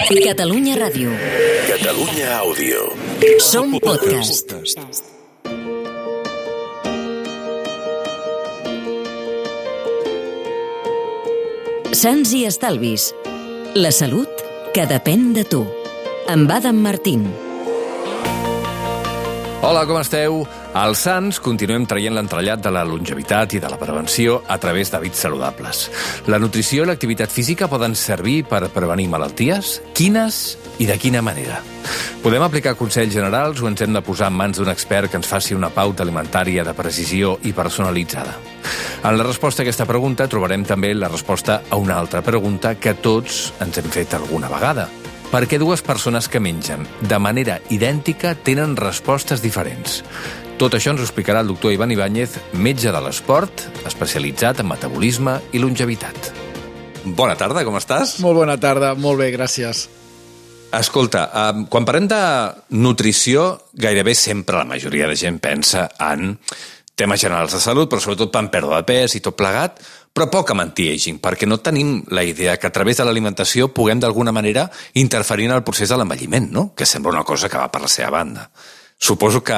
Catalunya Ràdio. Catalunya Àudio. Som podcast. Sants i estalvis. La salut que depèn de tu. Amb Adam Martín. Hola, com esteu? Als Sants continuem traient l'entrellat de la longevitat i de la prevenció a través d'hàbits saludables. La nutrició i l'activitat física poden servir per prevenir malalties? Quines i de quina manera? Podem aplicar consells generals o ens hem de posar en mans d'un expert que ens faci una pauta alimentària de precisió i personalitzada? En la resposta a aquesta pregunta trobarem també la resposta a una altra pregunta que tots ens hem fet alguna vegada. Per què dues persones que mengen de manera idèntica tenen respostes diferents? Tot això ens ho explicarà el doctor Ivan Ibáñez, metge de l'esport, especialitzat en metabolisme i longevitat. Bona tarda, com estàs? Molt bona tarda, molt bé, gràcies. Escolta, quan parlem de nutrició, gairebé sempre la majoria de gent pensa en temes generals de salut, però sobretot en pèrdua de pes i tot plegat, però poc en anti-aging, perquè no tenim la idea que a través de l'alimentació puguem d'alguna manera interferir en el procés de l'envelliment, no? Que sembla una cosa que va per la seva banda. Suposo que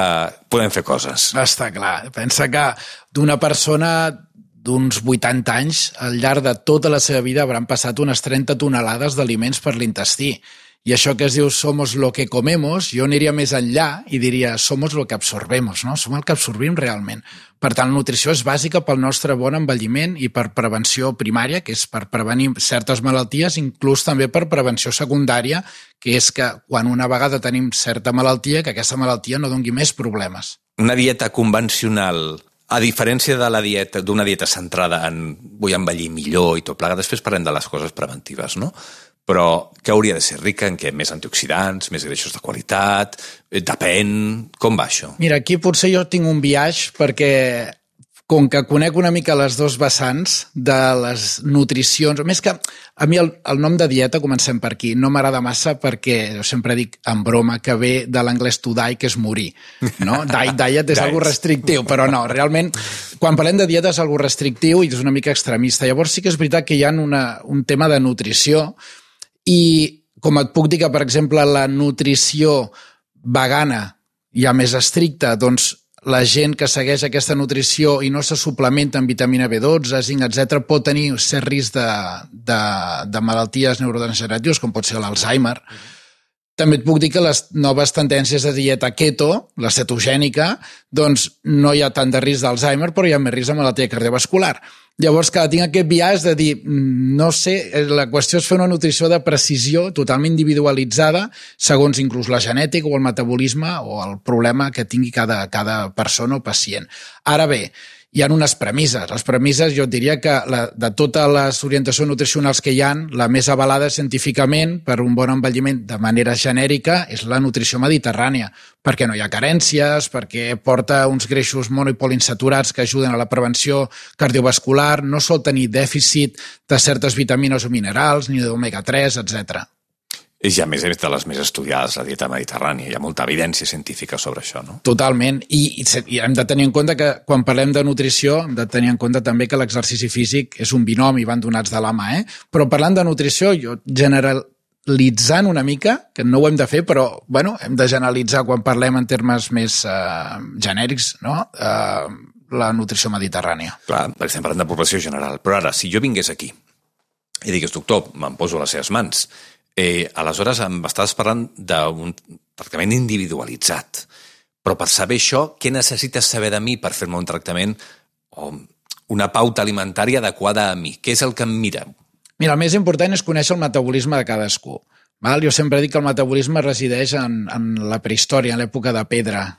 podem fer coses. Està clar. Pensa que d'una persona d'uns 80 anys, al llarg de tota la seva vida hauran passat unes 30 tonelades d'aliments per l'intestí. I això que es diu somos lo que comemos, jo aniria més enllà i diria somos lo que absorbemos, no? Som el que absorbim realment. Per tant, la nutrició és bàsica pel nostre bon envelliment i per prevenció primària, que és per prevenir certes malalties, inclús també per prevenció secundària, que és que quan una vegada tenim certa malaltia, que aquesta malaltia no doni més problemes. Una dieta convencional, a diferència de la dieta d'una dieta centrada en vull envellir millor i tot plegat, després parlem de les coses preventives, no? Però que hauria de ser rica en què? Més antioxidants, més greixos de qualitat, depèn... Com va això? Mira, aquí potser jo tinc un biaix perquè com que conec una mica les dos vessants de les nutricions, més que a mi el nom de dieta, comencem per aquí, no m'agrada massa perquè jo sempre dic en broma que ve de l'anglès to die, que és morir, no? Diet és algo restrictiu, però no, realment quan parlem de dieta és algo restrictiu i és una mica extremista. Llavors sí que és veritat que hi ha un tema de nutrició i com et puc dir que, per exemple, la nutrició vegana ja més estricta, doncs la gent que segueix aquesta nutrició i no se suplementa amb vitamina B12, zinc, etc., pot tenir cert risc de malalties neurodegeneratives, com pot ser l'Alzheimer. També et puc dir que les noves tendències de dieta keto, la cetogènica, doncs no hi ha tant de risc d'Alzheimer, però hi ha més risc de malaltia cardiovascular. Llavors, que tinc aquest biaix de dir, no sé, la qüestió és fer una nutrició de precisió totalment individualitzada, segons inclús la genètica o el metabolisme o el problema que tingui cada persona o pacient. Ara bé, hi ha unes premisses. Les premisses, jo et diria que de totes les orientacions nutricionals que hi ha, la més avalada científicament per un bon envelliment de manera genèrica és la nutrició mediterrània, perquè no hi ha carències, perquè porta uns greixos mono- i poliinsaturats que ajuden a la prevenció cardiovascular, no sol tenir dèficit de certes vitamines o minerals, ni d'omega-3, etc. És ja més de les més estudiades, la dieta mediterrània. Hi ha molta evidència científica sobre això, no? Totalment. I hem de tenir en compte que quan parlem de nutrició hem de tenir en compte també que l'exercici físic és un binomi, van donats de la mà, Però parlant de nutrició, jo generalitzant una mica, que no ho hem de fer, però bueno, hem de generalitzar quan parlem en termes més genèrics, no? La nutrició mediterrània. Clar, perquè estem parlant de població general. Però ara, si jo vingués aquí i digués, doctor, me'n poso a les seves mans, aleshores em estàs parlant d'un tractament individualitzat. Però per saber això, què necessites saber de mi per fer-me un tractament o una pauta alimentària adequada a mi? Què és el que em mira? Mira, el més important és conèixer el metabolisme de cadascú. Jo sempre dic que el metabolisme resideix en la prehistòria, en l'època de pedra,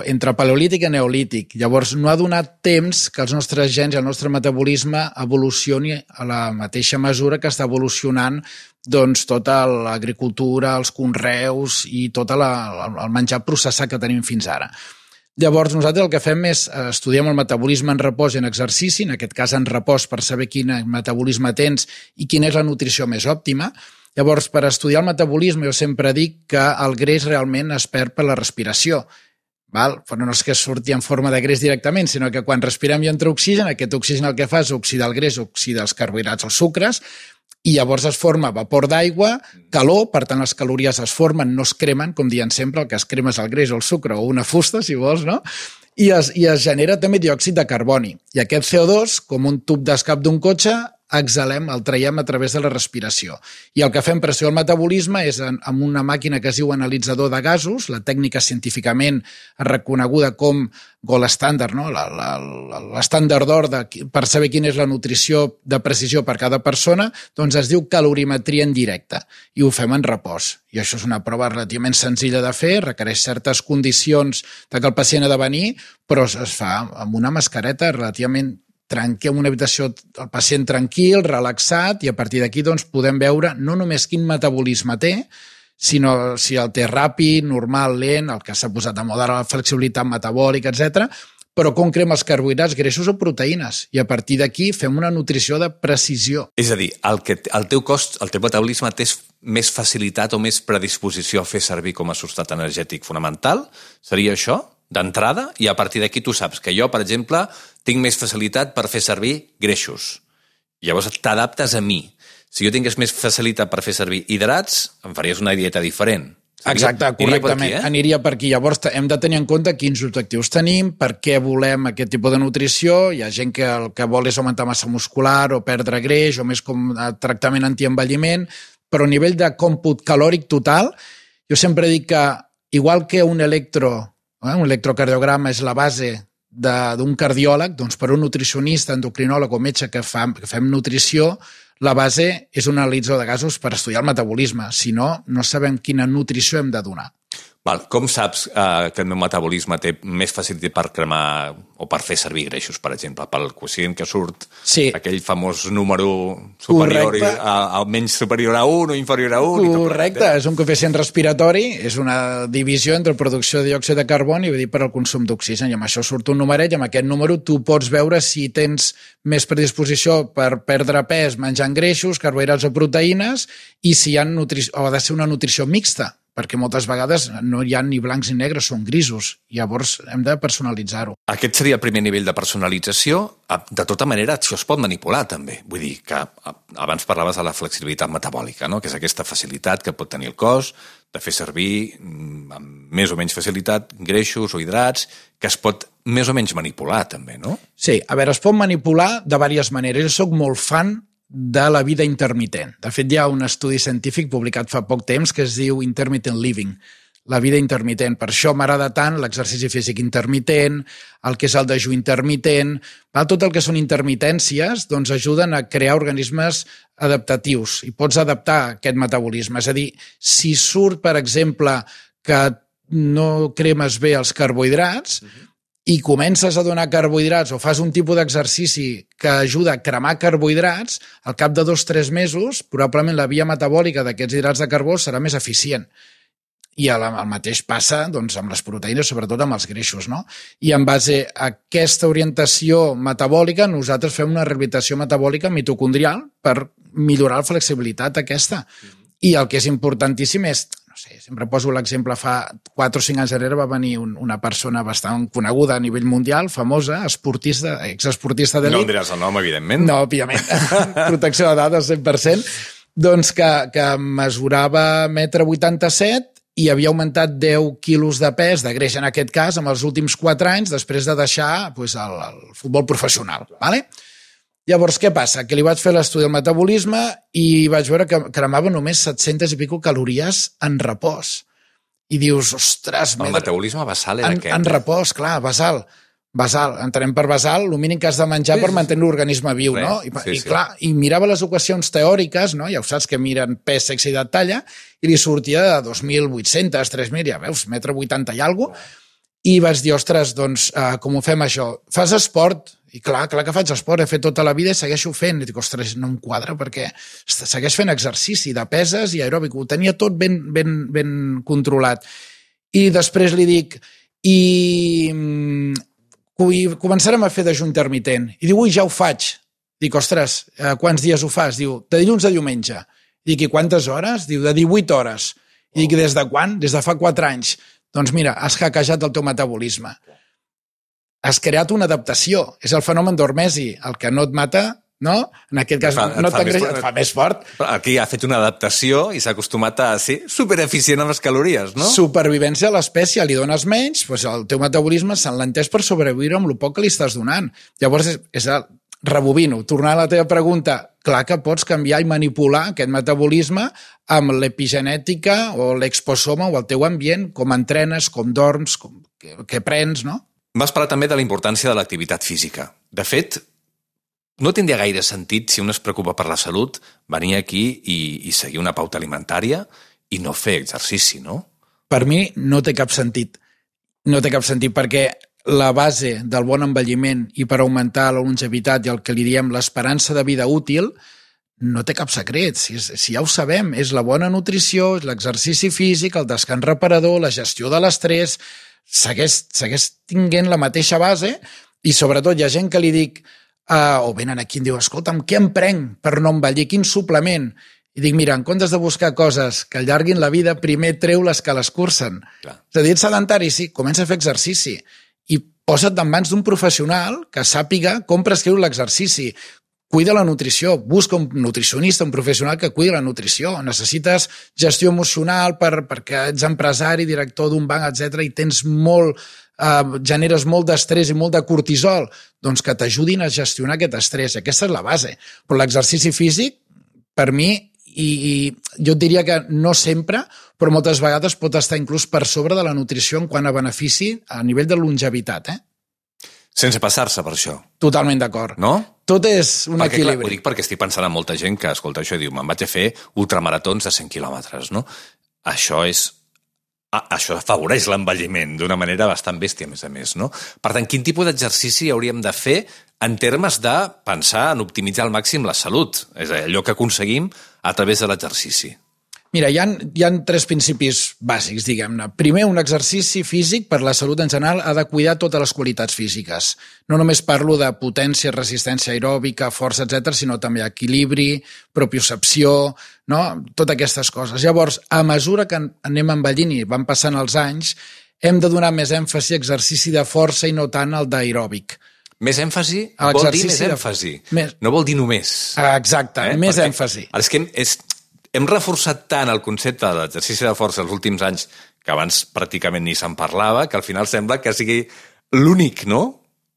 entre paleolític i neolític. Llavors, no ha donat temps que els nostres gens i el nostre metabolisme evolucioni a la mateixa mesura que està evolucionant doncs, tota l'agricultura, els conreus i tot el menjar processat que tenim fins ara. Llavors, nosaltres el que fem és estudiem el metabolisme en repòs i en exercici, en aquest cas en repòs per saber quin metabolisme tens i quina és la nutrició més òptima. Llavors, per estudiar el metabolisme, jo sempre dic que el greix realment es perd per la respiració. Però no és que surti en forma de greix directament, sinó que quan respirem i entra oxigen, aquest oxigen el que fa és oxidar el greix, oxidar els carbohidrats, els sucres, i llavors es forma vapor d'aigua, calor, per tant les calories es formen, no es cremen, com diuen sempre, el que es crema és el greix o el sucre o una fusta, si vols, no? I es genera també diòxid de carboni. I aquest CO2, com un tub d'escap d'un cotxe, exhalem, el traiem a través de la respiració. I el que fem pressió al metabolisme és amb una màquina que es diu analitzador de gasos, la tècnica científicament reconeguda com gold standard, no? L'estàndard d'or per saber quina és la nutrició de precisió per cada persona, doncs es diu calorimetria en directe i ho fem en repòs. I això és una prova relativament senzilla de fer, requereix certes condicions de que el pacient ha de venir, però es fa amb una mascareta relativament en una habitació, el pacient tranquil, relaxat, i a partir d'aquí doncs, podem veure no només quin metabolisme té, sinó si el té ràpid, normal, lent, el que s'ha posat de moda, la flexibilitat metabòlica, etc. Però com crema els carbohidrats, greixos o proteïnes. I a partir d'aquí fem una nutrició de precisió. És a dir, el teu cos, el teu metabolisme té més facilitat o més predisposició a fer servir com a substrat energètic fonamental? Seria això? D'entrada, i a partir d'aquí tu saps que jo, per exemple, tinc més facilitat per fer servir greixos. Llavors t'adaptes a mi. Si jo tingués més facilitat per fer servir hidrats, em faries una dieta diferent. Exacte, correctament. Aniria per aquí. Llavors hem de tenir en compte quins objectius tenim, per què volem aquest tipus de nutrició. Hi ha gent que el que vol és augmentar massa muscular o perdre greix o més com tractament antienvelliment, però a nivell de còmput calòric total, jo sempre dic que igual que un electrocardiograma és la base d'un cardiòleg, doncs per un nutricionista, endocrinòleg o metge que fem nutrició, la base és un analitzador de gasos per estudiar el metabolisme. Si no, no sabem quina nutrició hem de donar. Val. Com saps que el meu metabolisme té més facilitat per cremar o per fer servir greixos, per exemple? Pel quocient que surt aquell famós número superior, menys superior a 1 o inferior a 1. Correcte, és un coeficient respiratori, és una divisió entre producció de diòxid de carboni i per al consum d'oxigen, i amb això surt un numeret, i amb aquest número tu pots veure si tens més predisposició per perdre pes menjant greixos, carbohidrats o proteïnes, i si ha de ser una nutrició mixta, perquè moltes vegades no hi ha ni blancs ni negres, són grisos. Llavors hem de personalitzar-ho. Aquest seria el primer nivell de personalització. De tota manera, això es pot manipular també. Vull dir que abans parlaves de la flexibilitat metabòlica, no? Que és aquesta facilitat que pot tenir el cos de fer servir amb més o menys facilitat greixos o hidrats, que es pot més o menys manipular també, no? Sí, a veure, es pot manipular de diverses maneres. Jo soc molt fan de la vida intermitent. De fet, hi ha un estudi científic publicat fa poc temps que es diu Intermittent Living, la vida intermitent. Per això m'agrada tant l'exercici físic intermitent, el que és el dejú intermitent. Tot el que són intermitències doncs ajuden a crear organismes adaptatius i pots adaptar aquest metabolisme. És a dir, si surt, per exemple, que no cremes bé els carbohidrats, i comences a donar carbohidrats o fas un tipus d'exercici que ajuda a cremar carbohidrats, al cap de 2-3 mesos, probablement la via metabòlica d'aquests hidrats de carbó serà més eficient. I el mateix passa doncs, amb les proteïnes, sobretot amb els greixos, no? I en base a aquesta orientació metabòlica, nosaltres fem una rehabilitació metabòlica mitocondrial per millorar la flexibilitat aquesta. I el que és importantíssim és, no sé, sempre poso l'exemple, fa 4 o 5 anys enrere va venir una persona bastant coneguda a nivell mundial, famosa, esportista, exesportista d'elit. No en diràs el nom, evidentment. No, òbviament. Protecció de dades, 100%. Doncs que mesurava 1,87 m i havia augmentat 10 quilos de pes, de greix en aquest cas, en els últims 4 anys, després de deixar el futbol professional. ¿Vale? Llavors, què passa? Que li vaig fer l'estudi del metabolisme i vaig veure que cremava només 700 i pico calories en repòs. I dius, ostres... El metabolisme basal era aquest. En repòs, clar, basal. Basal, entenem per basal, el mínim que has de menjar per mantenir l'organisme viu, no? I clar, i mirava les equacions teòriques, no? Ja ho saps que miren pes, sexe i edat, talla, i li sortia de 2.800, 3.000, ja veus, 1,80 m i alguna cosa, i vaig dir, ostres, doncs, com ho fem això? Fas esport? I clar que faig esport, he fet tota la vida i segueixo fent. I dic, ostres, no em quadra perquè segueix fent exercici de peses i aeròbic, ho tenia tot ben controlat. I després li dic, començarem a fer dejú intermitent. I diu, ui, ja ho faig. Dic, ostres, quants dies ho fas? Diu, de dilluns a diumenge. Dic, i quantes hores? Diu, de 18 hores. I dic, des de quan? Des de fa 4 anys. Doncs mira, has hackejat el teu metabolisme. Has creat una adaptació. És el fenomen d'hormesi. El que no et mata no? En aquest cas no t'engreixes, et fa més fort. Aquí ha fet una adaptació i s'ha acostumat a ser supereficient amb les calories, no? Supervivència a l'espècie, li dones menys, doncs el teu metabolisme s'enlenteix per sobreviure amb el poc que li estàs donant. Llavors, rebobino, tornant a la teva pregunta, clar que pots canviar i manipular aquest metabolisme amb l'epigenètica o l'exposoma o el teu ambient, com entrenes, com dorms, què prens, no? M'has parlat també de la importància de l'activitat física. De fet, no tindria gaire sentit, si un es preocupa per la salut, venir aquí i seguir una pauta alimentària i no fer exercici, no? Per mi no té cap sentit. No té cap sentit perquè la base del bon envelliment i per augmentar la longevitat i el que li diem l'esperança de vida útil no té cap secret. Si ja ho sabem, és la bona nutrició, és l'exercici físic, el descans reparador, la gestió de l'estrès, segueix tinguent la mateixa base i sobretot hi ha gent que li dic o venen aquí i em diu, escolta'm, què em prenc per no envellir? Quin suplement? I dic, mira, en comptes de buscar coses que allarguin la vida, primer treu les que l'escurcen. És a dir, ets sedentari, sí, comença a fer exercici i posa't en mans d'un professional que sàpiga com prescriu l'exercici. Cuida la nutrició, busca un nutricionista, un professional que cuida la nutrició. Necessites gestió emocional perquè ets empresari, director d'un banc, etc i tens generes molt d'estrès i molt de cortisol, doncs que t'ajudin a gestionar aquest estrès. Aquesta és la base. Però l'exercici físic, per mi, i jo et diria que no sempre, però moltes vegades pot estar inclús per sobre de la nutrició en quant a benefici a nivell de longevitat, Sense passar-se per això. Totalment d'acord. No? Tot és un equilibri. Clar, ho dic perquè estic pensant en molta gent que escolta això i diu, me'n vaig a fer ultramaratons de 100 quilòmetres, no? Això afavoreix l'envelliment d'una manera bastant bèstia, a més, no? Per tant, quin tipus d'exercici hauríem de fer en termes de pensar en optimitzar al màxim la salut? És a dir, allò que aconseguim a través de l'exercici. Mira, hi ha 3 principis bàsics, diguem-ne. Primer, un exercici físic per la salut en general ha de cuidar totes les qualitats físiques. No només parlo de potència, resistència aeròbica, força, etc, sinó també equilibri, propiocepció, no? Totes aquestes coses. Llavors, a mesura que anem envellint i van passant els anys, hem de donar més èmfasi a exercici de força i no tant al d'aeròbic. Més èmfasi vol dir més èmfasi. No vol dir només. Exacte, més èmfasi. És que hem reforçat tant el concepte de l'exercici de força els últims anys, que abans pràcticament ni se'n parlava, que al final sembla que sigui l'únic, no?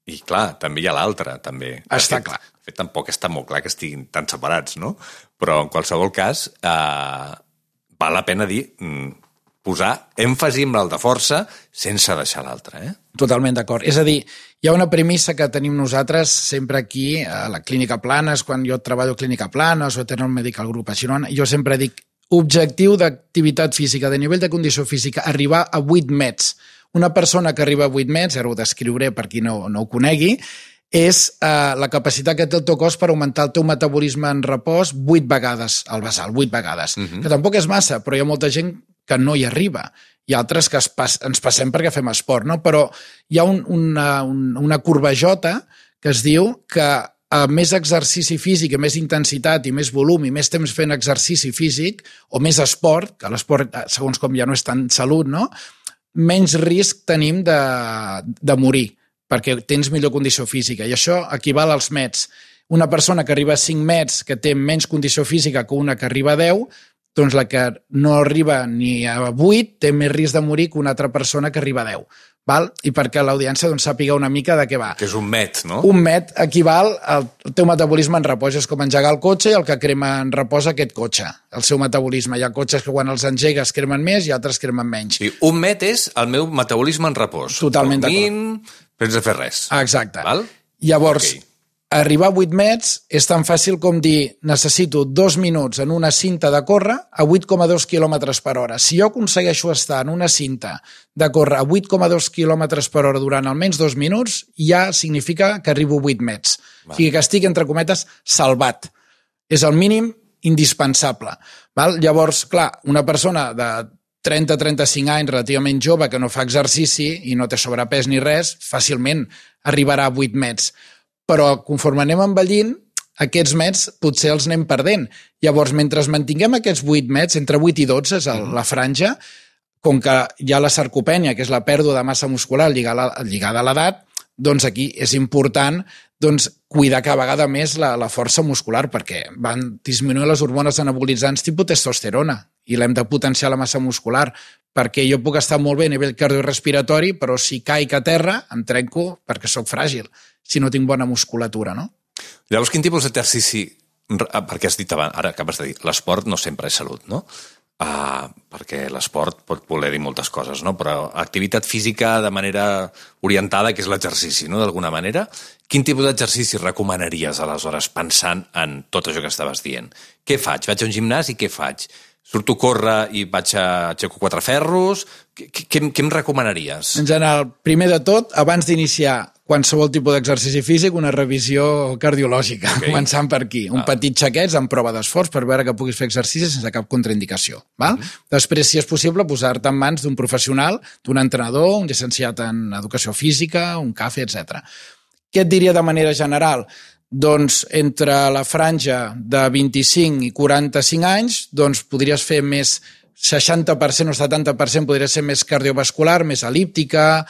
I clar, també hi ha l'altre, també. Està clar. De fet, tampoc està molt clar que estiguin tan separats, no? Però en qualsevol cas, val la pena dir posar èmfasi en el de força sense deixar l'altre, Totalment d'acord. És a dir, hi ha una premissa que tenim nosaltres sempre aquí a la Clínica Planes, quan jo treballo a Clínica Planes o a Eternal Medical Group a Girona, jo sempre dic objectiu d'activitat física, de nivell de condició física, arribar a 8 mets. Una persona que arriba a 8 mets, ara ho descriuré per qui no ho conegui, és la capacitat que té el teu cos per augmentar el teu metabolisme en repòs 8 vegades al basal, 8 vegades. Que tampoc és massa, però hi ha molta gent que no hi arriba. Hi ha altres que ens passem perquè fem esport, no? Però hi ha una corbajota que es diu que a més exercici físic, a més intensitat i més volum i més temps fent exercici físic o més esport, que l'esport, segons com ja no és tant salut, no? Menys risc tenim de morir perquè tens millor condició física i això equival als mets. Una persona que arriba a 5 mets que té menys condició física que una que arriba a 10, doncs la que no arriba ni a 8 té més risc de morir que una altra persona que arriba a 10. Val? I perquè l'audiència sàpiga una mica de què va. Que és un met, no? Un met equival al teu metabolisme en repòs. És com engegar el cotxe i el que crema en repòs aquest cotxe, el seu metabolisme. Hi ha cotxes que quan els engegues cremen més i altres cremen menys. Sí, un met és el meu metabolisme en repòs. Totalment d'acord. Sense fer res. Exacte. Val? Llavors, arribar a 8 mets és tan fàcil com dir necessito 2 minuts en una cinta de córrer a 8,2 km per hora. Si jo aconsegueixo estar en una cinta de córrer a 8,2 km per hora durant almenys 2 minuts, ja significa que arribo a 8 mets. O sigui que estic, entre cometes, salvat. És el mínim indispensable. Val? Llavors, clar, una persona de 30-35 anys, relativament jove, que no fa exercici i no té sobrepès ni res, fàcilment arribarà a 8 mets. Però conforme anem envellint, aquests mets potser els anem perdent. Llavors, mentre mantinguem aquests 8 mets, entre 8 i 12 és la franja, com que hi ha la sarcopènia, que és la pèrdua de massa muscular lligada a l'edat, doncs aquí és important cuidar cada vegada més la força muscular, perquè van disminuir les hormones anabolitzants tipus testosterona i l'hem de potenciar la massa muscular, perquè jo puc estar molt bé a nivell cardiorespiratori, però si caic a terra em trenco perquè sóc fràgil, si no tinc bona musculatura, no? Llavors, quin tipus d'exercici, perquè has dit abans, ara acabes de dir, l'esport no sempre és salut, no? Perquè l'esport pot voler dir moltes coses, no? Però activitat física de manera orientada, que és l'exercici, no? D'alguna manera, quin tipus d'exercici recomanaries aleshores pensant en tot això que estaves dient? Què faig? Vaig a un gimnàs i què faig? Surto a córrer i aixeco 4 ferros? Què em recomanaries? En general, primer de tot, abans d'iniciar qualsevol tipus d'exercici físic, una revisió cardiològica, començant per aquí. Un petit xequeig amb prova d'esforç per veure que puguis fer exercici sense cap contraindicació. Val? Després, si és possible, posar-te en mans d'un professional, d'un entrenador, un llicenciat en educació física, un CAFE, etc. Què et diria de manera general? Doncs entre la franja de 25 i 45 anys podries fer més 60% o 70% podria ser més cardiovascular, més elíptica,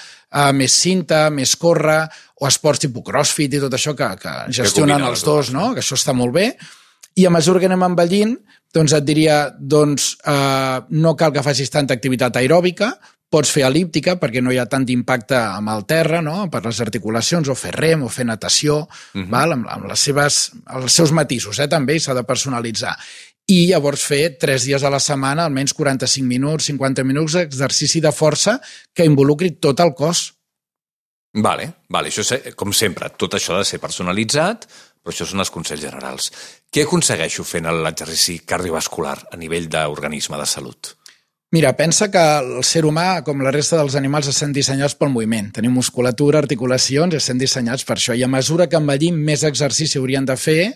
més cinta, més córrer, o esports tipus crossfit i tot això que gestionen els dos, no? Que això està molt bé. I a mesura que anem envellint, et diria, no cal que facis tanta activitat aeròbica, pots fer elíptica perquè no hi ha tant impacte amb el terra, no? Per les articulacions, o fer rem, o fer natació, val? Amb els seus matisos, també, i s'ha de personalitzar. I llavors fer 3 dies a la setmana, almenys 45 minuts, 50 minuts d'exercici de força que involucri tot el cos. Vale, això com sempre, tot això ha de ser personalitzat, però això són els consells generals. Què aconsegueixo fent l'exercici cardiovascular a nivell d'organisme de salut? Mira, pensa que el ser humà, com la resta dels animals, estem dissenyats pel moviment. Tenim musculatura, articulacions, i estem dissenyats per això. I a mesura que envellim, més exercici haurien de fer,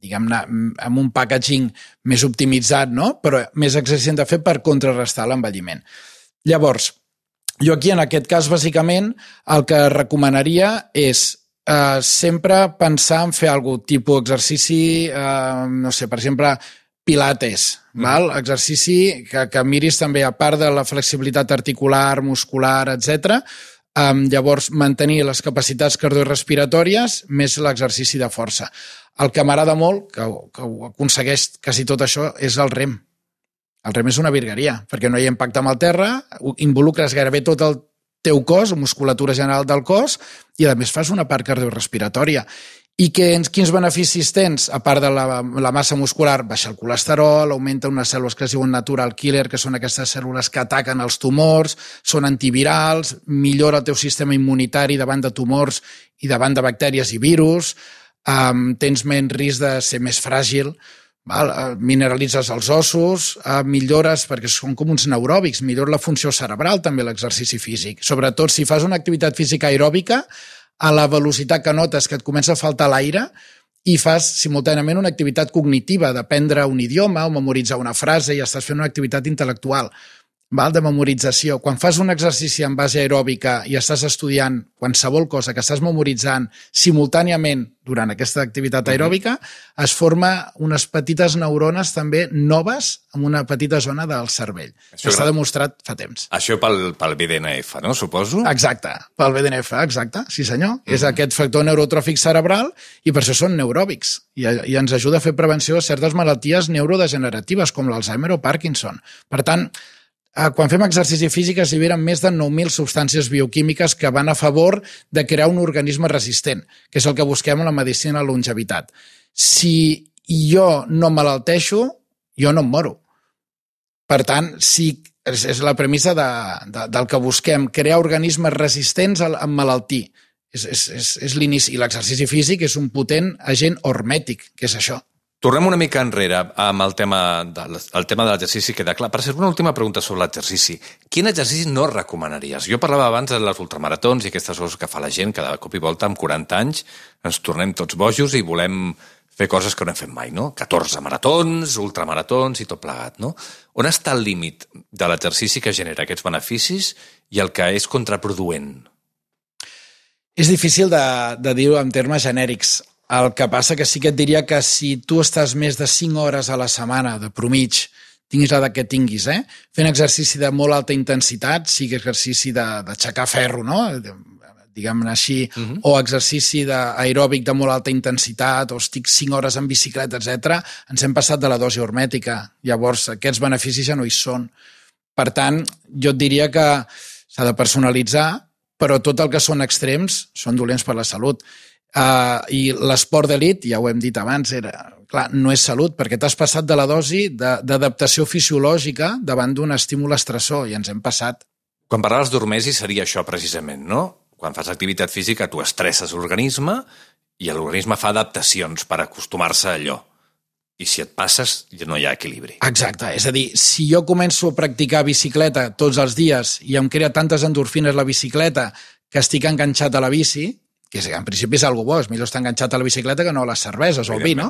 diguem-ne, amb un packaging més optimitzat, no? Però més exercici hem de fer per contrarrestar l'envelliment. Llavors, jo aquí, en aquest cas, bàsicament, el que recomanaria és sempre pensar en fer algun tipus d'exercici, no sé, per exemple, pilates, val? Exercici que miris també, a part de la flexibilitat articular, muscular, etc. Llavors, mantenir les capacitats cardiorrespiratòries més l'exercici de força. El que m'agrada molt, que ho aconsegueix quasi tot això, és el rem. El rem és una virgueria, perquè no hi ha impacte amb el terra, involucres gairebé tot el teu cos, musculatura general del cos, i a més fas una part cardiorrespiratòria. I quins beneficis tens? A part de la massa muscular, baixa el colesterol, augmenta unes cèl·lules que es diuen natural killer, que són aquestes cèl·lules que ataquen els tumors, són antivirals, millora el teu sistema immunitari davant de tumors i davant de bactèries i virus, tens menys risc de ser més fràgil, mineralitzes els ossos, millores, perquè són com uns neuròbics, millora la funció cerebral també l'exercici físic. Sobretot si fas una activitat física aeròbica, a la velocitat que notes que et comença a faltar l'aire i fas simultàniament una activitat cognitiva d'aprendre un idioma o memoritzar una frase i estàs fent una activitat intel·lectual, de memorització. Quan fas un exercici en base aeròbica i estàs estudiant qualsevol cosa que estàs memoritzant simultàniament durant aquesta activitat aeròbica, es forma unes petites neurones també noves en una petita zona del cervell. Això està demostrat fa temps. Això pel BDNF, no? Suposo? Exacte, pel BDNF, exacte, sí senyor. És aquest factor neurotròfic cerebral i per això són neuròbics i ens ajuda a fer prevenció de certes malalties neurodegeneratives com l'Alzheimer o Parkinson. Per tant, quan fem exercici físic es lliberen més de 9.000 substàncies bioquímiques que van a favor de crear un organisme resistent, que és el que busquem en la medicina de la longevitat. Si jo no malalteixo, jo no em moro. Per tant, és la premissa del que busquem, crear organismes resistents a emmalaltir. És l'inici. I l'exercici físic és un potent agent hormètic, que és això. Tornem una mica enrere amb el tema de l'exercici, queda clar. Per ser una última pregunta sobre l'exercici. Quin exercici no recomanaries? Jo parlava abans de les ultramaratons i aquestes coses que fa la gent cada cop i volta amb 40 anys. Ens tornem tots bojos i volem fer coses que no hem fet mai, no? 14 maratons, ultramaratons i tot plegat, no? On està el límit de l'exercici que genera aquests beneficis i el que és contraproduent? És difícil de dir-ho en termes genèrics. El que passa que sí que et diria que si tu estàs més de 5 hores a la setmana de promig, tinguis l'edat que tinguis, fent exercici de molt alta intensitat, sigui exercici d'aixecar ferro, no? diguem-ne així, o exercici aeròbic de molt alta intensitat, o estic 5 hores en bicicleta, etc., ens hem passat de la dosi hormètica. Llavors, aquests beneficis ja no hi són. Per tant, jo et diria que s'ha de personalitzar, però tot el que són extrems són dolents per la salut. I l'esport d'elit, ja ho hem dit abans, clar, no és salut, perquè t'has passat de la dosi d'adaptació fisiològica davant d'un estímul estressor, i ens hem passat. Quan parlaves d'hormesi seria això precisament, no? Quan fas activitat física tu estresses l'organisme i l'organisme fa adaptacions per acostumar-se a allò. I si et passes ja no hi ha equilibri. Exacte, és a dir, si jo començo a practicar bicicleta tots els dies i em crea tantes endorfines la bicicleta que estic enganxat a la bici, que en principi és algo bo, és millor estar enganxat a la bicicleta que no a les cerveses o al vi, no?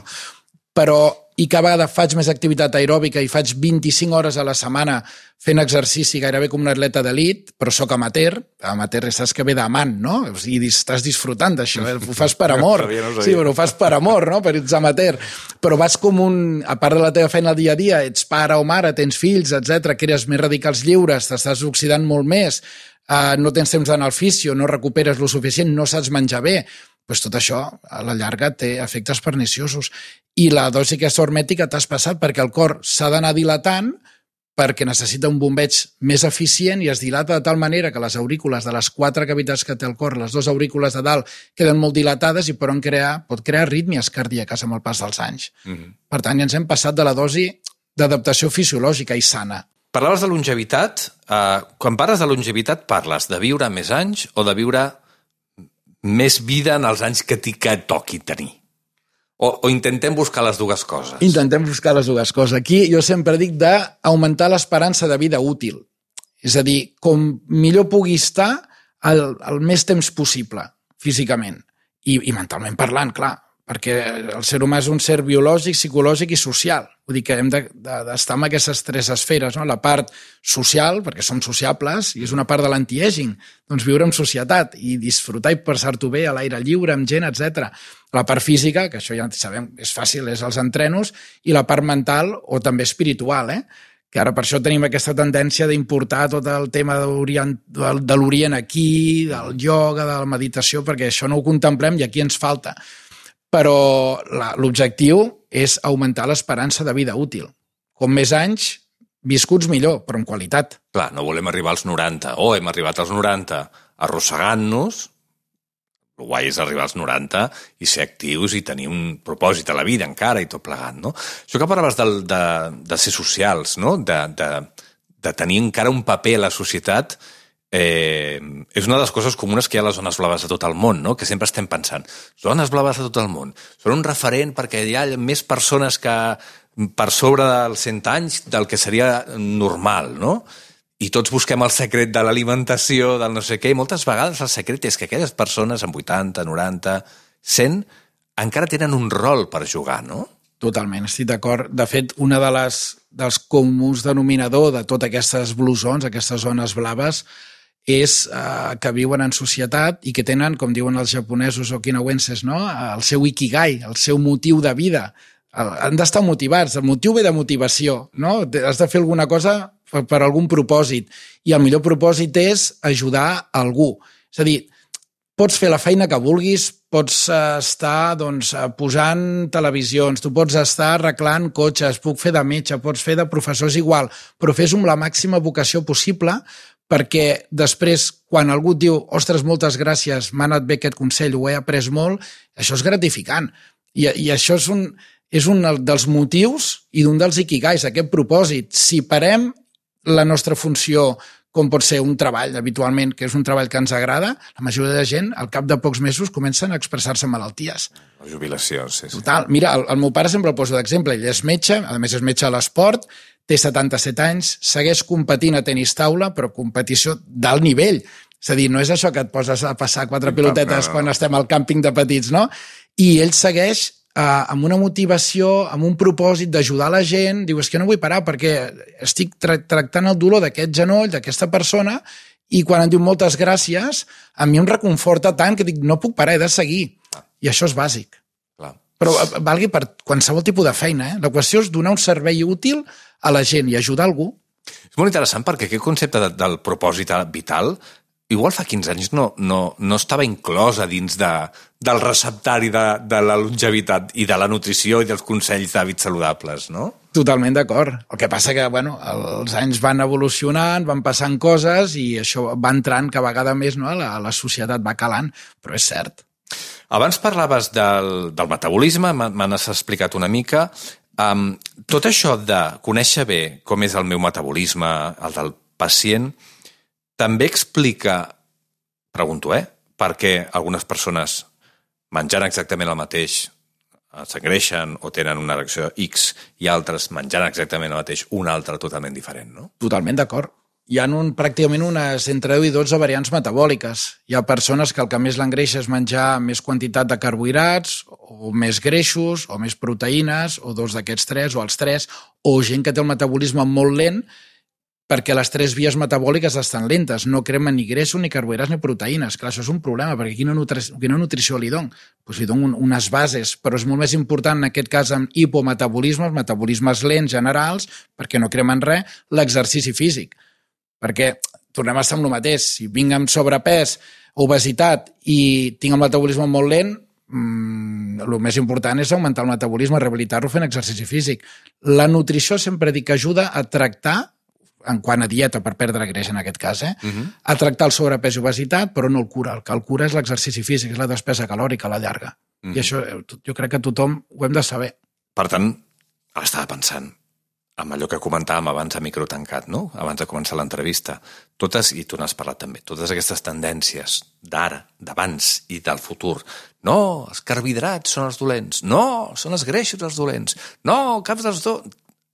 Però, i cada vegada faig més activitat aeròbica i faig 25 hores a la setmana fent exercici gairebé com un atleta d'elit, però sóc amateur. Amateur saps que ve d'amant, no? O sigui, estàs disfrutant d'això, ho fas per amor. Sí, però ho fas per amor, no? Per ets amateur. Però vas com a part de la teva feina al dia a dia, ets pare o mare, tens fills, etc., crees més radicals lliures, t'estàs oxidant molt més, no tens temps d'anar al fisio, no recuperes lo suficient, no saps menjar bé. Doncs tot això, a la llarga, té efectes perniciosos. I la dosi aquesta hormètica t'has passat perquè el cor s'ha d'anar dilatant perquè necessita un bombeig més eficient i es dilata de tal manera que les aurícules de les 4 cavitats que té el cor, les 2 aurícules de dalt, queden molt dilatades i pot crear arrítmies cardíaques amb el pas dels anys. Per tant, ja ens hem passat de la dosi d'adaptació fisiològica i sana. Parlaves de longevitat. Quan parles de longevitat, parles de viure més anys o de viure més vida en els anys que toqui tenir? O intentem buscar les dues coses? Intentem buscar les dues coses. Aquí jo sempre dic d'augmentar l'esperança de vida útil. És a dir, com millor pugui estar el més temps possible, físicament. I mentalment parlant, clar, perquè el ser humà és un ser biològic, psicològic i social. Vull dir que hem d'estar en aquestes 3 esferes, no? La part social, perquè som sociables, i és una part de l'anti-aging, doncs viure en societat i disfrutar i passar-t'ho bé a l'aire lliure, amb gent, etc. La part física, que això ja sabem, és fàcil, és els entrenos, i la part mental o també espiritual, que ara per això tenim aquesta tendència d'importar tot el tema de l'Orient aquí, del ioga, de la meditació, perquè això no ho contemplem i aquí ens falta. Però l'objectiu és augmentar l'esperança de vida útil. Com més anys, viscuts millor, però amb qualitat. Clar, no volem arribar als 90, o hem arribat als 90 arrossegant-nos. El guai és arribar als 90 i ser actius i tenir un propòsit a la vida encara i tot plegat, no? Això que parlaves de ser socials, no? De tenir encara un paper a la societat, és una de les coses comunes que hi ha a les zones blaves de tot el món, no? Que sempre estem pensant, zones blaves de tot el món, són un referent perquè hi ha més persones que per sobre dels 100 anys del que seria normal, no? I tots busquem el secret de l'alimentació, del no sé què, i moltes vegades el secret és que aquelles persones amb 80, 90, 100 encara tenen un rol per jugar, no? Totalment, estic d'acord. De fet, una dels comuns denominador de totes aquestes blue zones, aquestes zones blaves, és que viuen en societat i que tenen, com diuen els japonesos okinawenses, no? El seu ikigai, el seu motiu de vida. Han d'estar motivats, el motiu ve de motivació, no? Has de fer alguna cosa per algun propòsit, i el millor propòsit és ajudar algú. És a dir, pots fer la feina que vulguis, pots estar posant televisions, tu pots estar arreglant cotxes, puc fer de metge, pots fer de professor, és igual, però fes-ho amb la màxima vocació possible, perquè després, quan algú et diu ostres, moltes gràcies, m'ha anat bé aquest consell, ho he après molt, això és gratificant. I això és un dels motius i d'un dels ikigais, aquest propòsit. Si parem la nostra funció, com pot ser un treball habitualment, que és un treball que ens agrada, la majoria de gent, al cap de pocs mesos, comencen a expressar-se en malalties. La jubilació, sí. Total. Mira, el meu pare sempre el poso d'exemple. Ell és metge, a més és metge a l'esport, té 77 anys, segueix competint a tenis taula, però competició d'alt nivell. És a dir, no és això que et poses a passar 4 pilotetes quan estem al càmping de petits, no? I ell segueix amb una motivació, amb un propòsit d'ajudar la gent, diu, és que no vull parar perquè estic tractant el dolor d'aquest genoll, d'aquesta persona, i quan em diu moltes gràcies, a mi em reconforta tant que dic, no puc parar, he de seguir. I això és bàsic. Clar. Però valgui per qualsevol tipus de feina. La qüestió és donar un servei útil a la gent i ajudar algú. És molt interessant perquè aquest concepte del propòsit vital igual fa 15 anys no estava inclosa dins del receptari de la longevitat i de la nutrició i dels consells d'hàbits saludables, no? Totalment d'acord. El que passa que, els anys van evolucionant, van passant coses i això va entrant cada vegada més, no? La societat va calant, però és cert. Abans parlaves del metabolisme, m'has explicat una mica. Tot això de conèixer bé com és el meu metabolisme, el del pacient, també explica, pregunto, perquè algunes persones menjant exactament el mateix s'engreixen o tenen una reacció X i altres menjant exactament el mateix, una altra totalment diferent, no? Totalment d'acord. Hi ha pràcticament unes entre 10 i 12 variants metabòliques. Hi ha persones que el que més l'engreixa és menjar més quantitat de carbohidrats, o més greixos, o més proteïnes, o dos d'aquests tres, o els tres, o gent que té el metabolisme molt lent, perquè les tres vies metabòliques estan lentes, no cremen ni greixos, ni carbohidrats, ni proteïnes. Clar, això és un problema, perquè quina nutrició li dono? Doncs li dono unes bases, però és molt més important, en aquest cas, amb hipometabolismes, metabolismes lents generals, perquè no cremen res, l'exercici físic. Perquè tornem a estar amb el mateix. Si vinc amb sobrepès, obesitat i tinc el metabolisme molt lent, el més important és augmentar el metabolisme, rehabilitar-lo fent exercici físic. La nutrició sempre dic que ajuda a tractar, en quant a dieta per perdre greix en aquest cas, a tractar el sobrepès i obesitat, però no el cura. El que el cura és l'exercici físic, és la despesa calòrica a la llarga. I això jo crec que tothom ho hem de saber. Per tant, estava pensant amb allò que comentàvem abans a micro tancat, no? Abans de començar l'entrevista. Totes, i tu n'has parlat també, totes aquestes tendències d'ara, d'abans i del futur. No, els carbohidrats són els dolents. No, són els greixos els dolents. No, cap dels dos.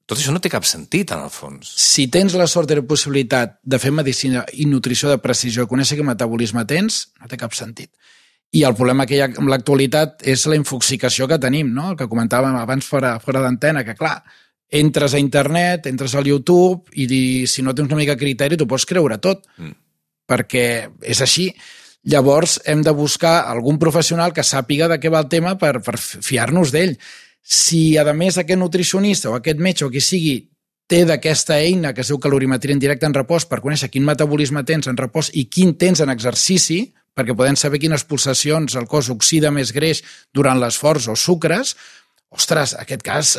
Tot això no té cap sentit, en el fons. Si tens la sort i la possibilitat de fer medicina i nutrició de precisió, conèixer quin metabolisme tens, no té cap sentit. I el problema que hi ha amb l'actualitat és la infoxicació que tenim, no? El que comentàvem abans fora d'antena, que clar, entres a internet, entres al YouTube i si no tens una mica de criteri t'ho pots creure tot, perquè és així. Llavors hem de buscar algun professional que sàpiga de què va el tema per fiar-nos d'ell. Si, a més, aquest nutricionista o aquest metge o qui sigui té d'aquesta eina que es diu calorimetria en directe en repòs per conèixer quin metabolisme tens en repòs i quin tens en exercici, perquè podem saber quines pulsacions el cos oxida més greix durant l'esforç o sucres, ostres, en aquest cas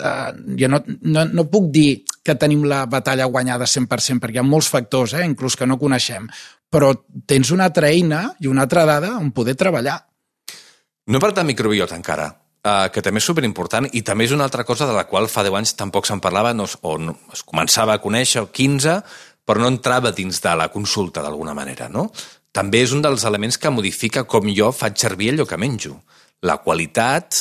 jo no puc dir que tenim la batalla guanyada 100% perquè hi ha molts factors, inclús que no coneixem, però tens una altra eina i una altra dada on poder treballar. No he parlat de microbiota encara, que també és superimportant i també és una altra cosa de la qual fa 10 anys tampoc se'n parlava o es començava a conèixer, o 15, però no entrava dins de la consulta d'alguna manera, no? També és un dels elements que modifica com jo faig servir allò que menjo. La qualitat,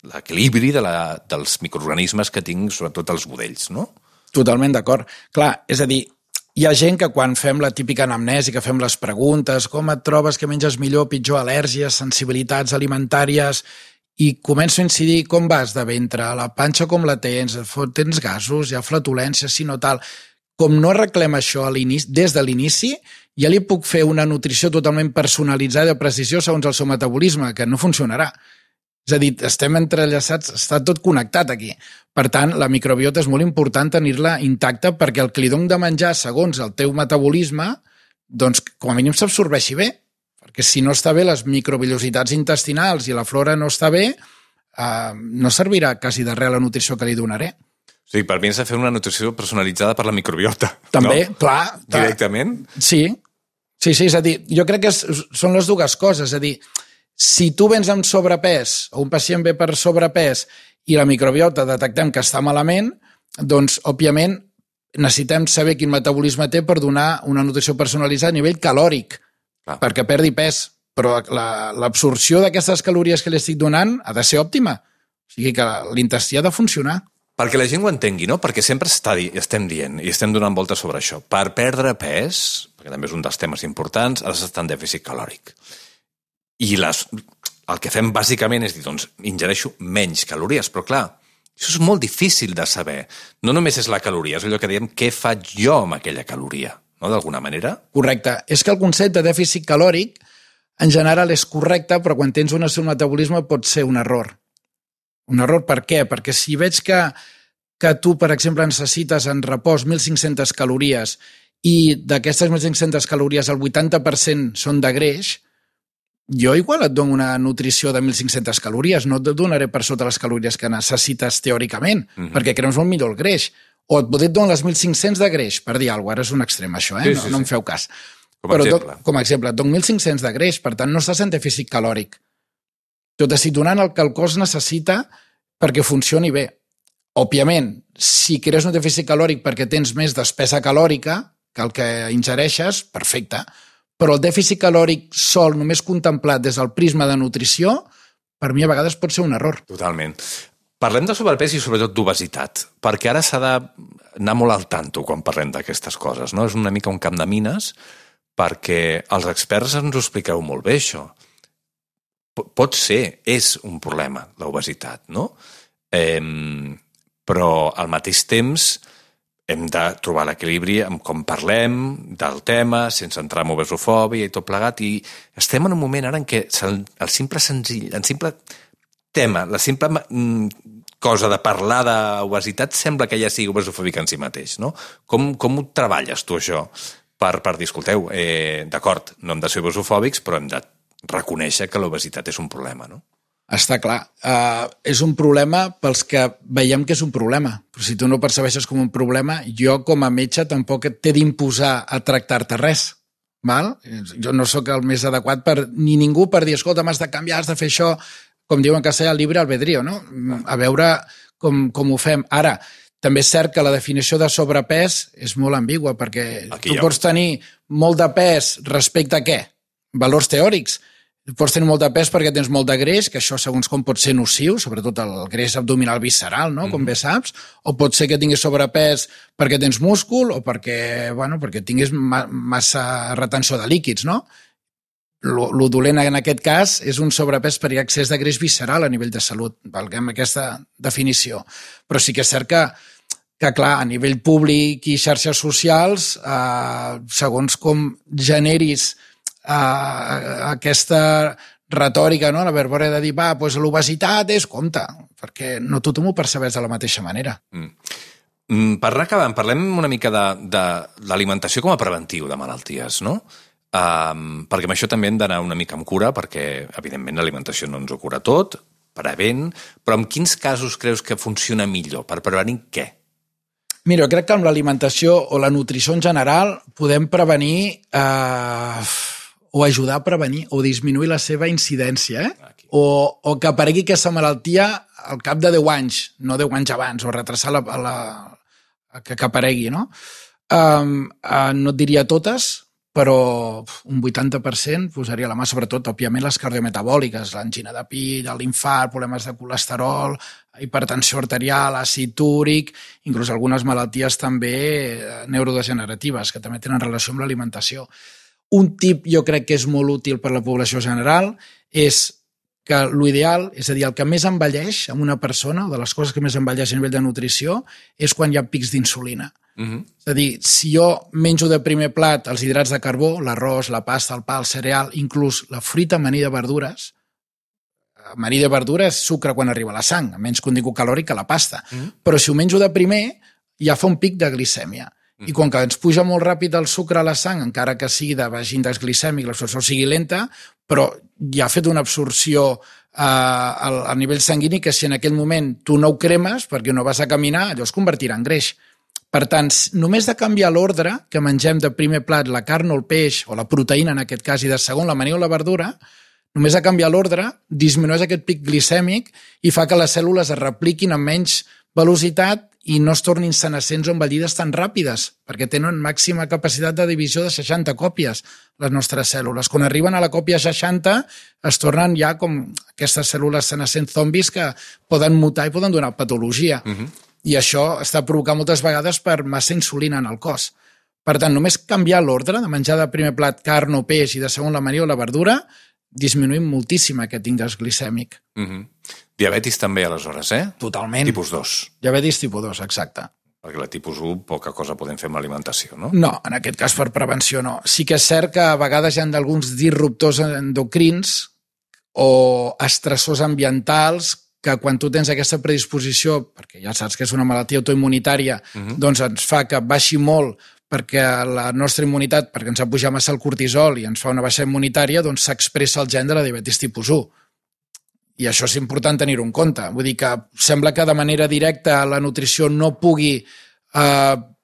l'equilibri dels microorganismes que tinc, sobretot els budells, no? Totalment d'acord. Clar, és a dir, hi ha gent que quan fem la típica anamnesi, que fem les preguntes, com et trobes, que menges millor, pitjor, al·lèrgies, sensibilitats alimentàries, i començo a incidir com vas de ventre, la panxa com la tens gasos, hi ha flatulència, si no tal. Com no arreglem això des de l'inici, ja li puc fer una nutrició totalment personalitzada de precisió segons el seu metabolisme, que no funcionarà. És a dir, estem entrellaçats, està tot connectat aquí. Per tant, la microbiota és molt important tenir-la intacta perquè el que li dono de menjar segons el teu metabolisme, doncs com a mínim s'absorbeixi bé. Perquè si no està bé les microvillositats intestinals i la flora no està bé, no servirà quasi de res la nutrició que li donaré. O sigui, per mi és fer una nutrició personalitzada per la microbiota. També, no? clar. Directament? Sí, és a dir, jo crec que són les dues coses. És a dir, si tu vens amb sobrepès o un pacient ve per sobrepès i la microbiota detectem que està malament, doncs, òbviament, necessitem saber quin metabolisme té per donar una nutrició personalitzada a nivell calòric, perquè perdi pes, però l'absorció d'aquestes calories que li estic donant ha de ser òptima. O sigui que l'intestí ha de funcionar. Perquè la gent ho entengui, no? Perquè sempre estem dient i estem donant voltes sobre això. Per perdre pes, perquè també és un dels temes importants, has d'estar en dèficit calòric. I el que fem bàsicament és dir, doncs, ingereixo menys calories, però clar, això és molt difícil de saber. No només és la caloria, és allò que diem què faig jo amb aquella caloria, no? D'alguna manera. Correcte. És que el concepte de dèficit calòric en general és correcte, però quan tens un metabolisme pot ser un error. Un error per què? Perquè si veig que tu, per exemple, necessites en repòs 1.500 calories i d'aquestes 1.500 calories el 80% són de greix, jo igual et dono una nutrició de 1.500 calories, no et donaré per sota les calories que necessites teòricament, perquè creus molt millor el greix. O et dono les 1.500 de greix, per dir alguna cosa, ara és un extrem això, no em feu cas. Com a exemple, et dono 1.500 de greix, per tant no estàs en dèficit calòric. Tu t'estic donant el que el cos necessita perquè funcioni bé. Òbviament, si crees un dèficit calòric perquè tens més despesa calòrica que el que ingereixes, perfecte. Però el dèficit calòric sol, només contemplat des del prisma de nutrició, per mi a vegades pot ser un error. Totalment. Parlem de sobrepès i sobretot d'obesitat, perquè ara s'ha d'anar molt al tanto quan parlem d'aquestes coses, no? És una mica un camp de mines, perquè els experts ens ho expliqueu molt bé, això. Pot ser, és un problema, l'obesitat, no? Però al mateix temps hem de trobar l'equilibri amb com parlem del tema, sense entrar en obesofòbia i tot plegat, i estem en un moment ara en què el simple tema, la simple cosa de parlar d'obesitat sembla que ja sigui obesofòbica en si mateix, no? Com ho treballes tu, això? Per dir, escolteu, d'acord, no hem de ser obesofòbics, però hem de reconèixer que l'obesitat és un problema, no? Està clar. És un problema pels que veiem que és un problema. Però si tu no percebeixes com un problema, jo com a metge tampoc t'he d'imposar a tractar-te res. Val? Jo no sóc el més adequat ni ningú per dir, escolta, m'has de canviar, has de fer això, com diuen que castellà, libre albedrío, no? A veure com ho fem. Ara, també és cert que la definició de sobrepès és molt ambigua, perquè tu pots tenir molt de pes respecte a què? Valors teòrics. Pots tenir molt de pes perquè tens molt de greix, que això segons com pot ser nociu, sobretot el greix abdominal visceral, no? Com bé saps, o pot ser que tinguis sobrepès perquè tens múscul o perquè tinguis massa retenció de líquids, no? Lo dolent en aquest cas és un sobrepès per excés de greix visceral a nivell de salut, valguem aquesta definició. Però sí que és cert que clar, a nivell públic i xarxes socials, segons com generis aquesta retòrica, no? La verborea de dir, l'obesitat és, compte, perquè no tothom ho percebeix de la mateixa manera. Per anar acabant, parlem una mica de l'alimentació com a preventiu de malalties, no? Perquè amb això també hem d'anar una mica amb cura, perquè, evidentment, l'alimentació no ens ho cura tot, prevent, però en quins casos creus que funciona millor? Per prevenir què? Mira, jo crec que amb l'alimentació o la nutrició en general podem prevenir o ajudar a prevenir o disminuir la seva incidència, o que aparegui aquesta malaltia al cap de 10 anys, no 10 anys abans, o retrasar que aparegui, no? No et diria totes, però un 80% posaria la mà, sobretot, òbviament, les cardiometabòliques, l'angina de pit, l'infart, problemes de colesterol, hipertensió arterial, àcid úric, inclús algunes malalties també neurodegeneratives, que també tenen relació amb l'alimentació. Un tip jo crec que és molt útil per a la població general és que l'ideal, és a dir, el que més envelleix en una persona, o de les coses que més envelleix a nivell de nutrició, és quan hi ha pics d'insulina. És a dir, si jo menjo de primer plat els hidrats de carbó, l'arròs, la pasta, el pa, el cereal, inclús la fruita amanida de verdures, amanida de verdura és sucre quan arriba a la sang, menys contingut calòric que la pasta. Però si ho menjo de primer, ja fa un pic de glicèmia. I com que ens puja molt ràpid el sucre a la sang, encara que sigui de baix índex glicèmic, l'absorció sigui lenta, però ja ha fet una absorció a nivell sanguini que si en aquell moment tu no ho cremes perquè no vas a caminar, allò es convertirà en greix. Per tant, només de canviar l'ordre que mengem de primer plat la carn o el peix, o la proteïna en aquest cas, i de segon l'amanida o la verdura, només de canviar l'ordre disminueix aquest pic glicèmic i fa que les cèl·lules es repliquin amb menys velocitat i no es tornin senescents o envellides tan ràpides, perquè tenen màxima capacitat de divisió de 60 còpies, les nostres cèl·lules. Quan arriben a la còpia 60, es tornen ja com aquestes cèl·lules senescents zombis que poden mutar i poden donar patologia. I això està provocant moltes vegades per massa insulina en el cos. Per tant, només canviar l'ordre de menjar de primer plat carn o peix i de segon l'amanida o la verdura, disminuïm moltíssim aquest índex glicèmic. Diabetis també, aleshores, Totalment. Tipus 2. Diabetis tipus 2, exacte. Perquè la tipus 1 poca cosa podem fer amb l'alimentació, no? No, en aquest cas per prevenció no. Sí que és cert que a vegades hi ha alguns disruptors endocrins o estressors ambientals que quan tu tens aquesta predisposició, perquè ja saps que és una malaltia autoimmunitària, doncs ens fa que baixi molt perquè la nostra immunitat, perquè ens ha pujat massa el cortisol i ens fa una baixa immunitària, doncs s'expressa el gen de la diabetis tipus 1. I això és important tenir-ho en compte. Vull dir que sembla que de manera directa la nutrició no pugui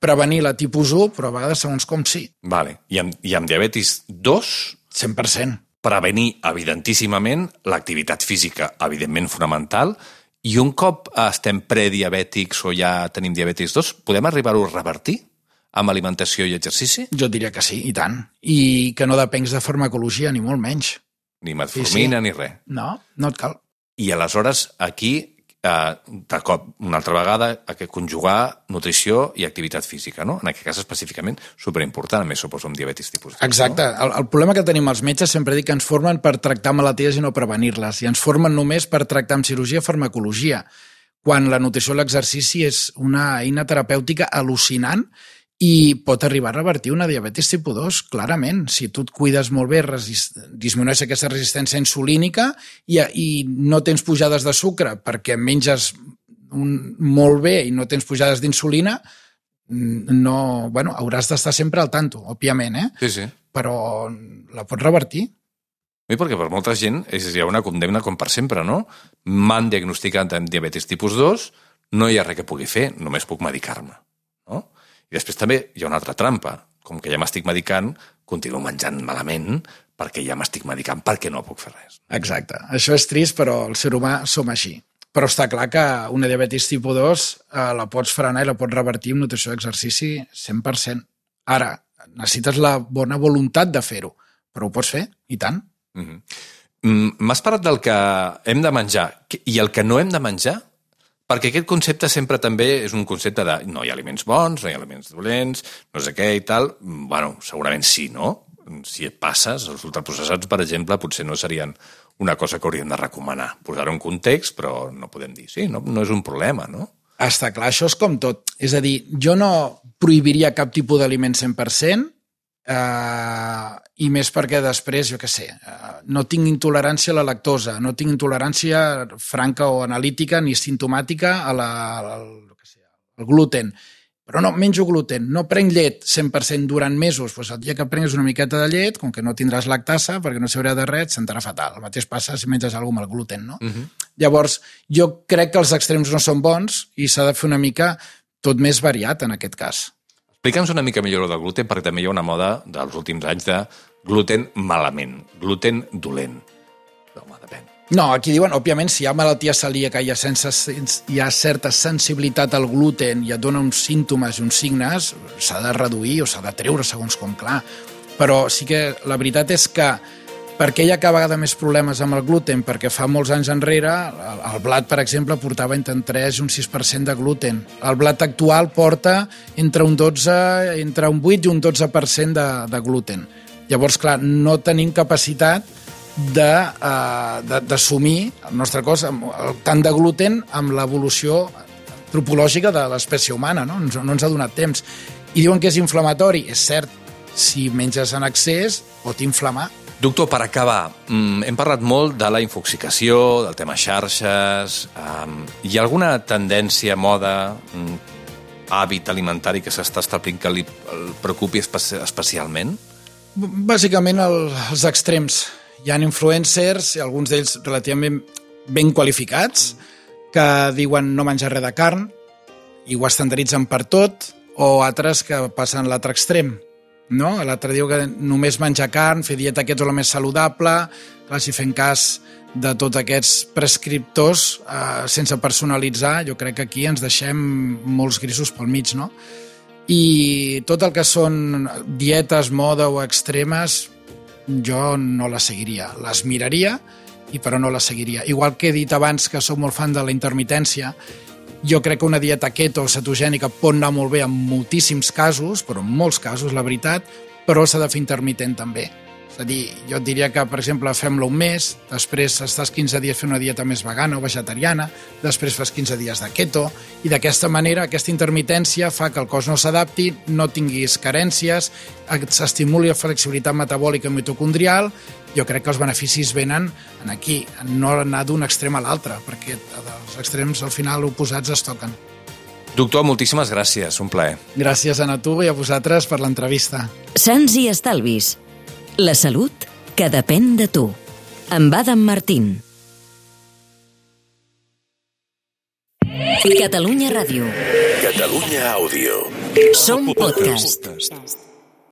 prevenir la tipus 1, però a vegades segons com sí. Vale. I amb diabetis 2? 100%. Prevenir, evidentíssimament, l'activitat física, evidentment fonamental, i un cop estem prediabètics o ja tenim diabetis 2, podem arribar-ho a revertir amb alimentació i exercici? Jo diria que sí, i tant. I que no depencs de farmacologia, ni molt menys. Ni metformina, ni res. No, no et cal. I aleshores aquí, de cop, una altra vegada, conjugar nutrició i activitat física, no? En aquest cas específicament superimportant, a més suposo amb diabetis tipus 2. Exacte. No? El problema que tenim els metges sempre dic que ens formen per tractar malalties i no prevenir-les, i ens formen només per tractar amb cirurgia i farmacologia, quan la nutrició i l'exercici és una eina terapèutica al·lucinant i pot arribar a revertir una diabetis tipus 2, clarament. Si tu et cuides molt bé, disminueix aquesta resistència insulínica i no tens pujades de sucre perquè menges molt bé i no tens pujades d'insulina, hauràs d'estar sempre al tanto, òbviament, Sí. Però la pots revertir. Sí, perquè per molta gent hi ha una condemna com per sempre, no? M'han diagnosticat amb diabetis tipus 2, no hi ha res que pugui fer, només puc medicar-me, no? I després també hi ha una altra trampa. Com que ja m'estic medicant, continuo menjant malament perquè ja m'estic medicant, perquè no puc fer res. Exacte. Això és trist, però el ser humà som així. Però està clar que una diabetis tipus 2 la pots frenar i la pots revertir amb nutrició i exercici 100%. Ara, necessites la bona voluntat de fer-ho, però ho pots fer, i tant. M'has parlat del que hem de menjar i el que no hem de menjar? Perquè aquest concepte sempre també és un concepte de no hi ha aliments bons, no hi ha aliments dolents, no sé què i tal. Bueno, segurament sí, no? Si et passes, els ultraprocessats, per exemple, potser no serien una cosa que hauríem de recomanar. Posar-ho en context, però no podem dir, sí, no és un problema, no? Està clar, això és com tot. És a dir, jo no prohibiria cap tipus d'aliment 100%, i més perquè després, jo què sé, no tinc intolerància a la lactosa, no tinc intolerància franca o analítica ni simptomàtica al gluten, però no, menjo gluten, no prenc llet 100% durant mesos, doncs el dia que prengues una miqueta de llet, com que no tindràs lactasa, perquè no s'haurà de res, et sentarà fatal. El mateix passa si menges alguna cosa amb el gluten, no? Llavors, jo crec que els extrems no són bons i s'ha de fer una mica tot més variat en aquest cas. Explica'ns una mica millor del gluten, perquè també hi ha una moda dels últims anys de gluten malament, gluten dolent. Home, depèn. No, aquí diuen, òbviament, si hi ha malaltia celíaca i hi ha certa sensibilitat al gluten i et dona uns símptomes i uns signes, s'ha de reduir o s'ha de treure, segons com, clar. Però sí que la veritat és que per què hi ha cada vegada més problemes amb el gluten? Perquè fa molts anys enrere el blat, per exemple, portava entre un 3 i un 6% de gluten. El blat actual porta entre un 8 i un 12% de gluten. Llavors, clar, no tenim capacitat d'assumir el nostre cos tant de gluten amb l'evolució antropològica de l'espècie humana, no ens ha donat temps. I diuen que és inflamatori. És cert, si menges en excés pot inflamar. Doctor, per acabar, hem parlat molt de la infoxicació, del tema xarxes. Hi ha alguna tendència, moda, hàbit alimentari que s'està establint que el preocupi especialment? Bàsicament els extrems. Hi ha influencers, alguns d'ells relativament ben qualificats, que diuen no menjar res de carn i ho estandarditzen per tot, o altres que passen l'altre extrem. No? L'altre diu que només menjar carn, fer dieta aquest és el més saludable, clar, si fem cas de tots aquests prescriptors sense personalitzar, jo crec que aquí ens deixem molts grisos pel mig, no? I tot el que són dietes, moda o extremes, jo no les seguiria. Les miraria, però no les seguiria. Igual que he dit abans que soc molt fan de la intermitència, jo crec que una dieta keto o cetogènica pot anar molt bé en moltíssims casos, però en molts casos, la veritat, però s'ha de fer intermitent també. És a dir, jo et diria que, per exemple, fem-la un mes, després estàs 15 dies fent una dieta més vegana o vegetariana, després fas 15 dies de keto, i d'aquesta manera, aquesta intermitència fa que el cos no s'adapti, no tinguis carències, s'estimuli la flexibilitat metabòlica i mitocondrial. Jo crec que els beneficis venen aquí, no anar d'un extrem a l'altre, perquè els extrems al final oposats es toquen. Doctor, moltíssimes gràcies, un plaer. Gràcies a tu i a vosaltres per l'entrevista. Sants i estalvis. La salut que depèn de tu. Amb Adam Martín. Catalunya Ràdio. Catalunya Àudio. Som podcast.